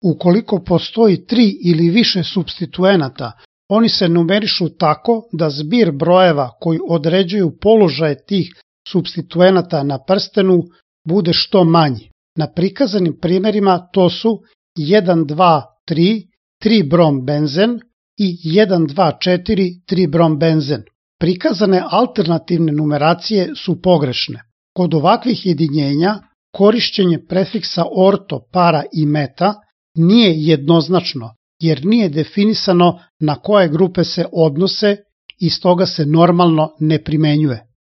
Ukoliko postoji 3 ili više supstituenata, oni se numerišu tako da zbir brojeva koji određuju položaje tih supstituenata na prstenu bude što manji. Na prikazanim primerima to su 1, 2, 3, 3-brom-benzen i 1, 2, 4, 3-brom-benzen. Prikazane alternativne numeracije su pogrešne. Kod ovakvih jedinjenja korišćenje prefiksa orto, para i meta nije jednoznačno, jer nije definisano na koje grupe se odnose i stoga se normalno ne primenjuje.